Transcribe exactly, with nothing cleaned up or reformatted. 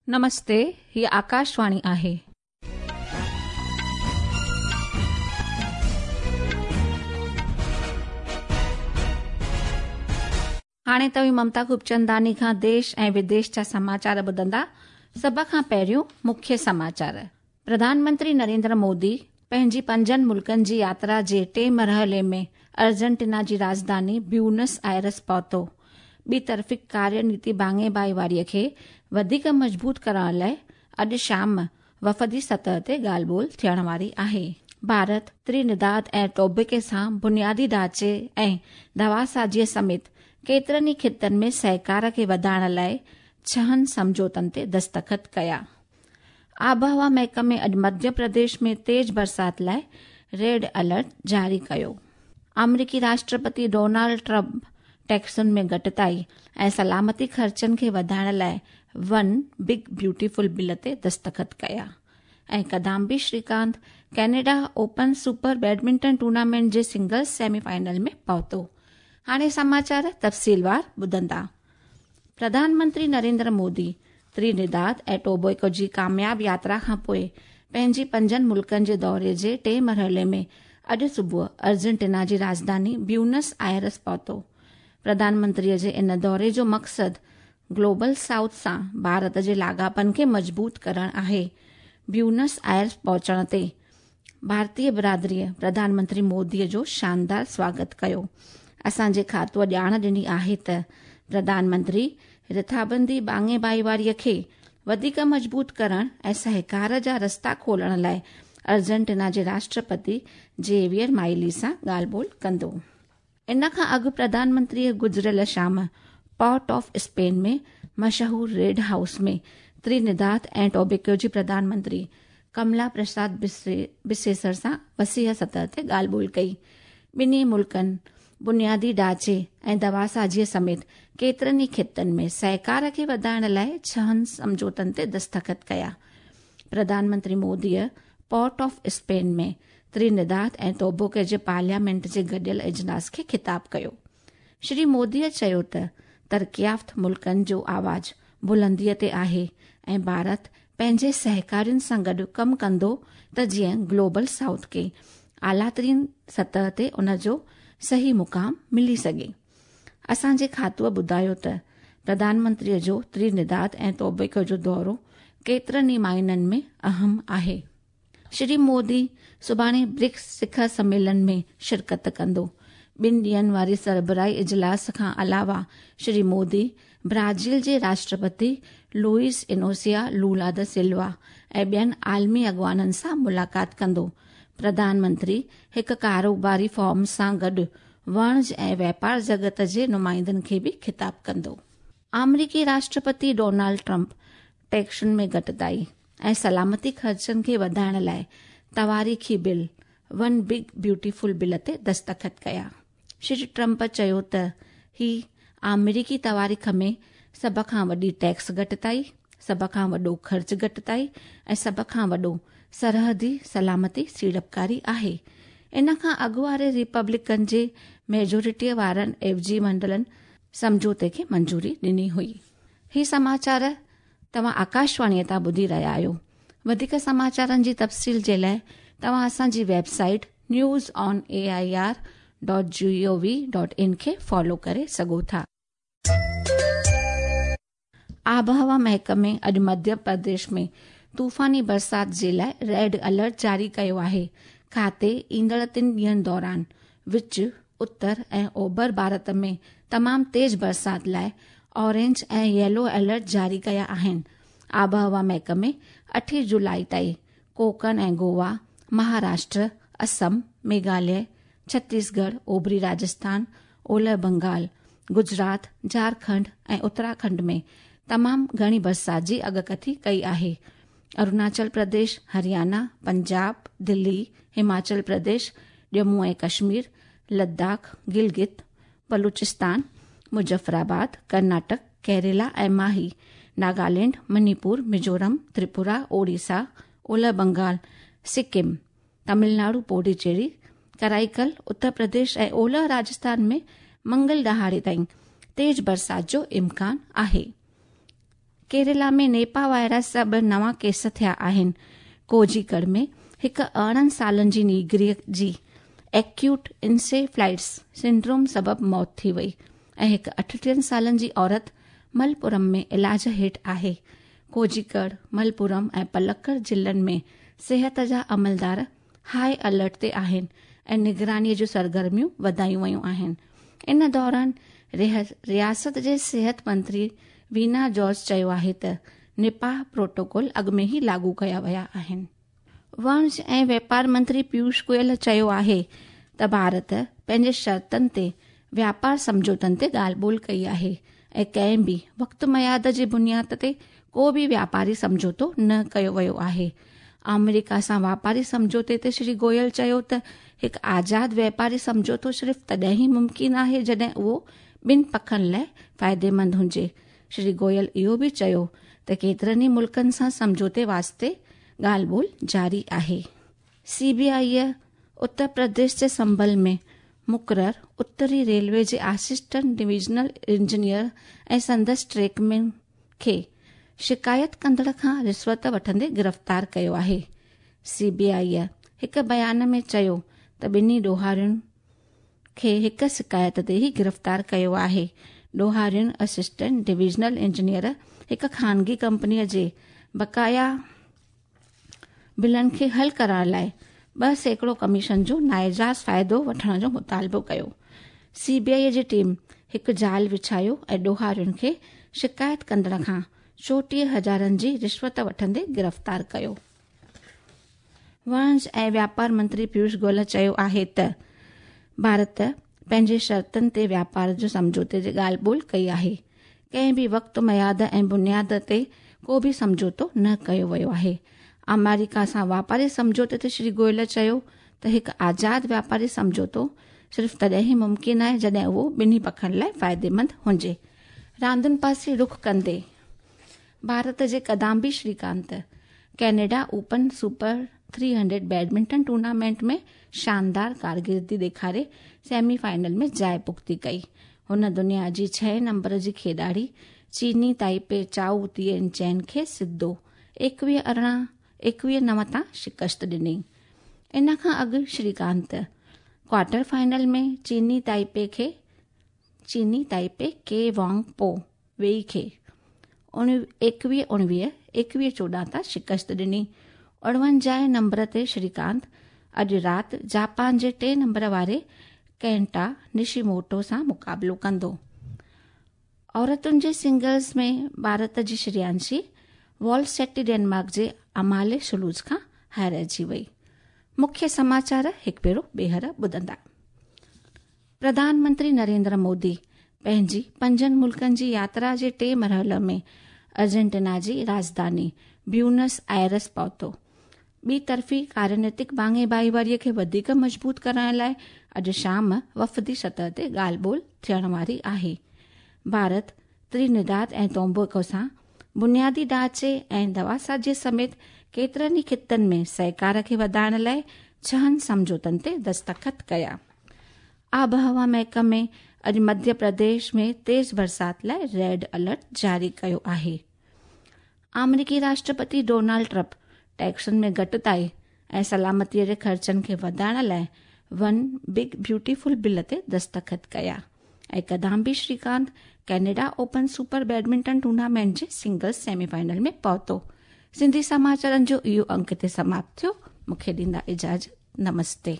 नमस्ते, ही आकाशवाणी आहे. हाणे तव्हीं ममता खूबचंदानी खां देश ऐं विदेश जा समाचार ॿुधंदा। सभ खां पहिरियों मुख्य समाचार। प्रधानमंत्री नरेंद्र मोदी पंहिंजी पंजनि मुल्कनि जी यात्रा जे टे मरहले में अर्जेंटीना जी राजधानी ब्यूनस आयर्स पहुतो। ॿी तरफ़ी कार्यनीति भाङे भाईवारीअ खे वधीक मज़बूत करण लाइ अॼु शाम वफ़दी सतह ते ॻाल्हि ॿोल थियण वारी आहे। भारत त्रिनिदाद ऐं टोबैगो सां बुनियादी ढांचे ऐं दवासाज़ीअ समेत केतिरनि ई ख़ितनि में सहकार खे वधाइण लाइ छहनि सम्झौतनि ते दस्तख़त कया। आबहवा महकमे अॼु मध्य प्रदेश में तेज़ बरसाति लाइ रेड अलर्ट जारी कयो। अमरीकी राष्ट्रपति डोनाल्ड ट्रंप टैक्सुनि में घटिताई ऐं सलामती ख़र्चनि खे वधाइण लाइ वन बिग ब्यूटीफुल बिल ते दस्तख़त कया। ऐं Kidambi Srikanth Canada open super badminton tournament जे सिंगल्स सेमीफाइनल में पहुतो। हाणे समाचार तफ़सीलवार ॿुधंदा। प्रधानमंत्री नरेंद्र मोदी त्रिनिदाद ऐं टोबैगो जी कामयाब यात्रा खां पोइ पंहिंजी पंजनि मुल्कनि जे दौरे जे टे मरहले में अॼु सुबुह अर्जेंटीना जी राजधानी ब्यूनस आयर्स पहुतो। प्रधानमंत्रीअ जे इन दौरे जो मक़सदु ग्लोबल साउथ सां भारत जे लाॻापनि खे मज़बूत करणु आहे। ब्यूनस आयर्स पहुचण ते भारतीय बिरादरीअ प्रधानमंत्री मोदीअ जो शानदार स्वागत कयो। असांजे खातूअ ॼाण ॾिनी आहे त प्रधानमंत्री रिथाबंदी भाङे भाईवारीअ खे वधीक मज़बूत करण ऐं सहकार जा रस्ता खोलण लाइ अर्जेंटीना जे राष्ट्रपति जेवियर माइली सां ॻाल्हि ॿोल कंदो। इन खां अॻु प्रधानमंत्रीअ गुज़िरियल शाम पोर्ट ऑफ स्पेन में मशहूर रेड हाउस में त्रिनिदाद ऐं टोबैगो जी प्रधानमंत्री कमला प्रसाद बिसेसर सां वसीह सतह ते ॻाल्हि ॿोल कई। ॿिन्ही मुल्कनि बुनियादी ढांचे ऐं दवासाज़ीअ समेत केतिरनि ई ख़ितनि में सहकार खे वधाइण लाइ छहनि सम्झौतनि ते दस्तख़त कया। प्रधानमंत्री मोदीअ पोर्ट ऑफ स्पेन में त्रिनिदाद ऐं टोबैगो जे पार्लियामेंट जे गॾियल इजलास खे ख़िताब कयो। श्री मोदीअ चयो त तरक़ियाफ़्त मुल्कनि जो आवाज़ बुलंदीअ ते आहे ऐं भारत पंहिंजे सहकारियुनि सां गॾु कमु कंदो त जीअं ग्लोबल साउथ खे आला तरीन सतह ते उन जो सही मुक़ाम मिली सघे। असांजे खातूअ ॿुधायो त प्रधानमंत्रीअ जो त्रिनिदाद ऐं टोबैगो जो दौरो केतिरनि ई माइननि में अहम आहे। श्री मोदी सुभाणे ब्रिक्स शिखर सम्मेलन में शिरकत कंदो। ॿिनि ॾींहंनि वारे सरबराही इजलास खां अलावा श्री मोदी ब्राज़ील जे राष्ट्रपति लुइस इनोसिया लूला the सिल्वा ऐं ॿियनि आलमी अॻवाननि सां मुलाक़ात कंदो। प्रधानमंत्री हिकु कारोबारी फॉर्म सां गॾु वणज ऐं व्यापार जगत जे नुमाइंदनि खे बि ख़िताब कंदो। अमरीकी राष्ट्रपति डोनाल्ड ट्रंप टैक्सुनि में घटिताई ऐं सलामती ख़र्चनि खे वधाइण लाइ तवारीख़ी bill one big beautiful bill ते दस्तख़त कया। श्री ट्रंप चयो त ही अमरीकी तवारीख़ में सभ खां वॾी टैक्स घटिताई, सभ खां वॾो ख़र्च घटिताई ऐं सभ खां वॾो सरहदी सलामती सीड़पकारी आहे। इन खां अॻु वारे रिपब्लिकन जे मेजॉरिटीअ वारनि एवजी मंडलनि सम्झौते खे मंजूरी ॾिनी हुई। ही समाचार तव्हां आकाशवाणीअ तां ॿुधी रहिया आहियो। वधीक समाचारनि जी तफ़सील जे लाइ तव्हां असांजी website news on A I R dot G O V dot in खे फॉलो करे सघो था। आबहवा महकमे अॼु मध्य प्रदेश में तूफ़ानी बरसाति जे लाइ रेड अलर्ट जारी कयो आहे। खाते ईंदड़ टिनि ॾींहंनि दौरान विच, उत्तर ऐं ओभर भारत में तमामु तेज़ बरसाति लाइ ऑरेंज ऐं येलो अलर्ट जारी कया आहिनि। आबहवा महकमे अठे जुलाई ताईं कोंकण ऐं गोवा, महाराष्ट्र, असम, मेघालय, छत्तीसगढ़, ओभरी राजस्थान, ओलह बंगाल, गुजरात, झारखंड ऐं उत्तराखंड में तमामु घणी बरसाति जी अॻकथी कई आहे। अरुणाचल प्रदेश, हरियाणा, पंजाब, दिल्ली, हिमाचल प्रदेश, जम्मू ऐं कश्मीर, लद्दाख, गिलगित, बलूचिस्तान, मुज़फ़राबाद, कर्नाटक, केरला ऐं माही, नागालैंड, मणिपुर, मिज़ोरम, त्रिपुरा, ओडिशा, ओलह बंगाल, सिक्किम, तमिलनाडु, पौडुचेरी, कराईकल, उत्तर प्रदेश ऐं ओलह राजस्थान में मंगल ॾहाड़े ताईं तेज़ बरसाति जो इम्कान आहे। केरला में नेपा वायरस जा ॿ नवां केस थिया आहिनि। कोझिकोड में हिकु अरिड़हं सालनि जी नीगरीअ जी एक्यूट इंसेफ्लाइटिस सिंड्रोम सबबि मौत थी वई ऐं हिकु अठटीहनि सालनि जी औरत मलपुरम में इलाज हेठि आहे। कोझिकोड, मलपुरम ऐं पलक्कड़ ज़िलनि में सिहत जा अमलदार हाई अलर्ट ते आहिनि ऐं निगरानीअ जूं सरगर्मियूं वधायूं वयूं आहिनि। इन दौरान रियासत जे सिहत मंत्री वीना जॉर्ज चयो आहे त निपाह प्रोटोकॉल अॻु में ई लागू कया विया आहिनि। वणज ऐं व्यापार मंत्री पीयूष गोयल चयो आहे त भारत पंहिंजे शर्तनि ते व्यापार सम्झौतनि ते ॻाल्हि ॿोल कई आहे ऐं कंहिं बि वक़्तु मयाद जे बुनियाद ते को बि व्यापारी सम्झौतो न कयो वियो आहे। आमेरिका सां व्यापारी सम्झौते ते श्री गोयल चयो त हिकु आज़ाद व्यापारी सम्झौतो सिर्फ़ तॾहिं ई मुमकिन आहे जॾहिं उहो ॿिनि पखनि लाइ फ़ाइदेमंद हुजे। श्री गोयल इहो बि चयो त केतिरनि ई मुल्कनि सां सम्झौते वास्ते ॻाल्हि ॿोल जारी आहे। सीबीआई उत्तर प्रदेश जे संभल में मुक़रर उत्तरी रेलवे जे असिस्टेंट डिविजनल इंजीनियर ऐं संदसि ट्रैकमैन खे शिकायत कंदड़ खां रिश्वत वठंदे गिरफ़्तार कयो आहे। सीबीआई हिकु बयान में चयो त ॿिन्ही ॾोहारियुनि खे हिकु शिकायत ते ई गिरफ़्तार कयो आहे। ॾोहारियुनि असिस्टेंट डिविजनल इंजीनियर हिकु ख़ानगी कंपनीअ जे बकाया बिलनि खे हल करण लाइ ॿ सैकड़ो कमीशन जो नाइजाज़ फ़ाइदो वठण जो मुतालबो कयो। सीबीआई जी टीम हिकु जाल विछायो ऐं ॾोहारियुनि खे शिकायत कंदड़ खां चोटीह हज़ारनि जी रिश्वत वठंदे गिरफ़्तार कयो। वणज ऐं व्यापार मंत्री पीयूष गोयल चयो आहे त भारत पंहिंजे शर्तनि ते व्यापार जो सम्झौते जी ॻाल्हि ॿोल कई आहे। कंहिं बि वक़्तु मयाद ऐं बुनियाद ते को बि सम्झौतो न कयो वियो आहे। अमेरिका सां व्यापारी सम्झौते ते श्री गोयल चयो त हिकु आज़ाद व्यापारी सम्झौतो सिर्फ़ तॾहिं ई मुमकिन आहे जॾहिं उहो ॿिन्ही पखनि लाइ फ़ाइदेमंद हुजे। रांदुनि पासे रुख कंदे भारत जे Kidambi Srikanth Canada open super three hundred badminton tournament में शानदार कारकिर्दी ॾेखारे सेमीफाइनल में जाइ पुख़्ती कई। हुन दुनिया जी छह नंबर जी खेॾाड़ी चीनी ताइपे चाउ तिएन चैन खे सिधो एकवीह अरिड़हं एकवीह नव तां शिकस्त ॾिनी। इन खां अॻु श्रीकांत क्वार्टर फाइनल में चीनी ताइपे खे चीनी ताइपे के वांग पो वेई खे एकवीह उणिवीह एकवीह चोॾहं तां शिकस्त ॾिनी। अणवंजाह नंबर ते श्रीकांत अॼु राति जापान जे टे नंबर वारे केंटा निशिमोटो सां मुक़ाबिलो कंदो। औरतुनि जे सिंगल्स में भारत जी श्रेयांशी वॉलसेटी डेनमार्क जे अमाले सुलूज खां हाराइजी वई। मुख्य समाचार हिकु भेरो ॿीहर ॿुधंदा। प्रधानमंत्री नरेंद्र मोदी पंहिंजी पंजनि मुल्कनि जी यात्रा जे टे मरहले में अर्जेंटीना जी राजधानी ब्यूनस आयर्स पहुतो। ॿी तरफ़ी कार्यनीतिक भाङे भाईवारीअ खे वधीक मज़बूत करण लाइ अॼु शाम वफ़दी सतह ते ॻाल्हि ॿोल थियण वारी आहे। भारत त्रिनिदाद ऐं टोबैगो सां बुनियादी ढांचे ऐं दवासाज़ीअ समेत केतिरनि ई ख़ितनि में सहकार खे वधाइण लाइ छहनि सम्झौतनि ते दस्तख़त कया। आबहवा महकमे अॼु मध्य प्रदेश में तेज़ बरसात लाइ रेड अलर्ट जारी कयो आहे। आमेरिकी राष्ट्रपति डोनाल्ड ट्रंप टैक्सनि में घटिताई ऐं सलामतीअ जे ख़र्चनि खे वधाइण लाइ वन बिग ब्यूटीफुल बिल ते दस्तख़त कया। ऐं Kidambi Srikanth Canada open super badminton tournament जे सिंगल्स सेमीफाइनल में पहुतो। सिंधी समाचारनि जो इहो अंक हिते समाप्त थियो। मूंखे ॾींदा इजाज़त। नमस्ते।